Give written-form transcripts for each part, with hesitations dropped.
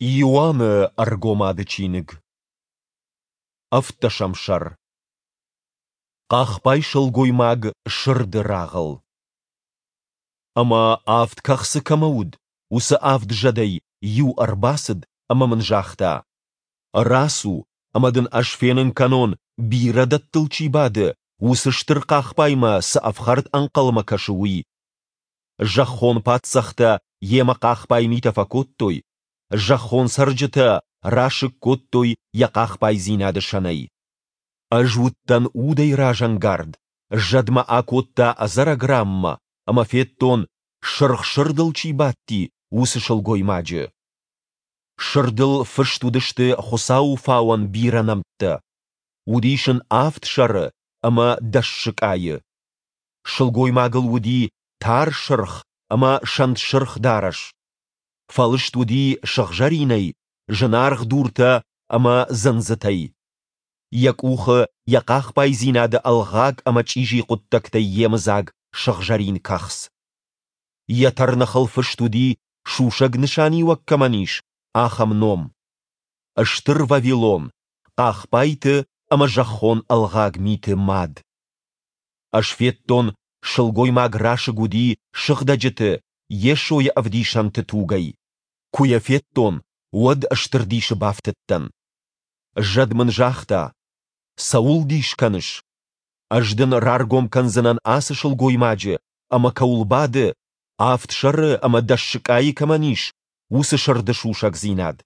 Иоанны Ӕргомады чиныг. Ӕвддӕсӕм сӕр. Хъахбай сылгоймаг сырды рагъыл. Ӕмӕ авд кӕхцы кӕмӕ уыд, уыцы авд зӕдӕй иу ӕрбацыд ӕмӕ мын загъта: Рацу, ӕмӕ дын ӕз фенын кӕнон, бирӕ дӕттыл чи бады, уыцы стыр хъахбаймӕ цы ӕфхӕрд ӕнхъӕлмӕ кӕсы, уый. Зӕххон паддзӕхтӕ йемӕ хъахбай митӕ фӕкодтой, зӕххон цӕрджытӕ расыг кодтой йӕ хъахбайдзинады сӕнӕй. Ӕз уыдтӕн удӕй разӕнгард, зӕд мӕ акодта ӕдзӕрӕг ранмӕ ӕмӕ федтон, сырх сырдыл чи бадти, уыцы сылгоймаджы. Сырдыл фыст уыдысты Хуыцауы фауӕн бирӕ нӕмттӕ. Уыдис ын авд сӕры ӕмӕ дӕс сыкъайы. Сылгоймагыл уыди тар сырх ӕмӕ сӕнтсырх дарӕс. Фӕлыст уыди сыгъзӕринӕй, зынаргъ дуртӕ ӕмӕ дзындзытӕй. Йӕ къухы йӕ хъахбайдзинады ӕлгъаг ӕмӕ чъизи хъуыддӕгтӕй йемыдзаг сыгъзӕрин кӕхц. Йӕ тӕрныхыл фыст уыди, сусӕг нысаниуӕг кӕмӕн ис, ахӕм ном: Стыр Вавилон, хъахбайты ӕмӕ зӕххон ӕлгъаг миты мад. Ӕз федтон, сылгоймаг расыг уыди сыгъдӕджыты, Йесойы ӕвдисӕнты тугӕй. Куы йӕ федтон, уӕд стыр дисы бафтыдтӕн. Зӕд мын загъта: Цӕуыл дис кӕныс? Ӕз дын раргом кӕндзынӕн ацы сылгоймаджы ӕмӕ кӕуыл бады, авд сӕры ӕмӕ дӕс сыкъайы кӕмӕн ис, уыцы сырды сусӕгдзинад.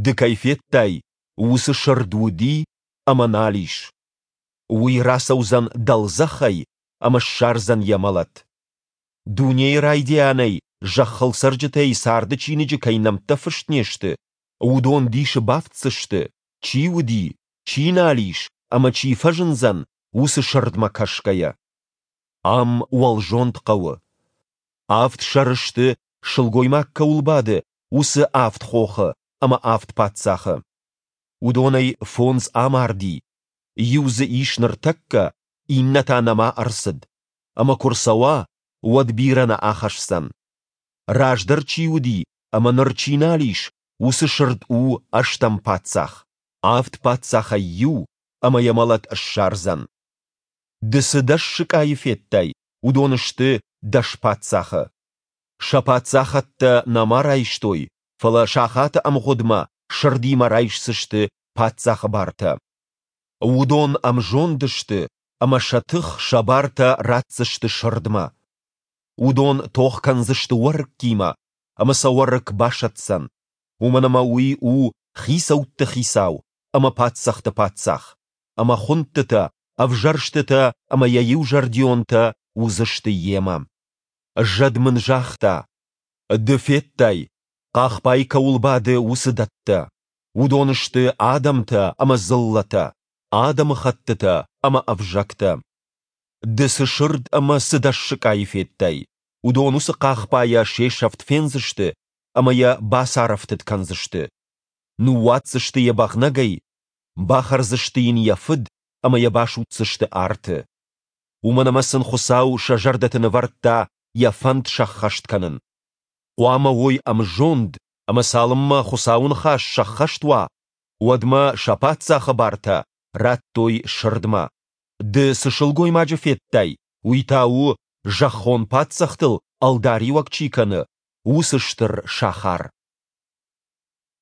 Ды кӕй федтай, уыцы сырд уыди ӕмӕ нал ис. Уый рацӕудзӕн дӕлдзӕхӕй ӕмӕ ссардзӕн йӕ мӕлӕт. Дунейы райдианӕй зӕххыл цӕрджытӕй царды чиныджы кӕй нӕмттӕ фыст не сты, уыдон дисы бафтдзысты, чи уыди, чи нал ис ӕмӕ чи фӕзындзӕн, уыцы сырдмӕ кӕсгӕйӕ. Ам уӕлзонд хъӕуы. Авд сӕры сты, сылгоймаг кӕуыл бады, уыцы авд хохы ӕмӕ авд паддзахы. Уыдонӕй фондз амарди, иу дзы ис ныртӕккӕ, иннӕ та нӕма ӕрцыд. Ӕмӕ куы рцӕуа, уӕд бирӕ нӕ ахӕсдзӕн. Раздӕр чи уыди ӕмӕ ныр чи нал ис, уыцы сырд у ӕстӕм паддзах, авд паддзахӕй иу, ӕмӕ йӕ мӕлӕт ссардзӕн. Ды цы дӕс сыкъайы федтай, уыдон сты дӕс паддзахы. Сӕ паддзахӕдтӕ нӕма райстой, фӕлӕ сахаты ӕмгъуыдмӕ сырдимӕ райсдзысты паддзахы бартӕ. Уыдон ӕмзонд сты ӕмӕ сӕ тых, сӕ бартӕ ратдзысты сырдмӕ. Уыдон тох кӕндзысты уӕрыккимӕ, ӕмӕ сӕ уӕрыкк басӕтдзӕн, уымӕн ӕмӕ уый у хицӕутты хицау ӕмӕ паддзӕхты паддзах, ӕмӕ хуындтытӕ, ӕвзӕрстытӕ ӕмӕ йӕ иузӕрдионтӕ уыдзысты йемӕ. Зӕд мын загъта, Ды федтай, хъахбай кӕуыл бады, уыцы дӕттӕ. Уыдон сты адӕмтӕ ӕмӕ дзыллӕтӕ, адӕмыхӕттытӕ ӕмӕ ӕвзӕгтӕ. Ды цы сырд ӕмӕ цы дӕс сыкъайы федтай, уыдон уыцы хъахбайӕ се сӕфт фендзысты ӕмӕ йӕ бацарӕфтыд кӕндзысты. Ныууадздзысты йӕ бӕгънӕгӕй, бахӕрдзысты йын йӕ фыд ӕмӕ йӕ басудздзысты арты. Уымӕн ӕмӕ сын Хуыцау сӕ зӕрдӕты нывӕрдта йӕ фӕнд сӕххӕст кӕнын. Хъуамӕ уой ӕмзонд ӕмӕ цалынмӕ Хуыцауы ныхас сӕххӕст уа, уӕдмӕ сӕ паддзахы бартӕ радтой сырдмӕ. Ды цы сылгоймаджы федтай, уый та у, зӕххон паддзӕхтыл ӕлдариуӕг чи кӕны, уыцы стыр сахар.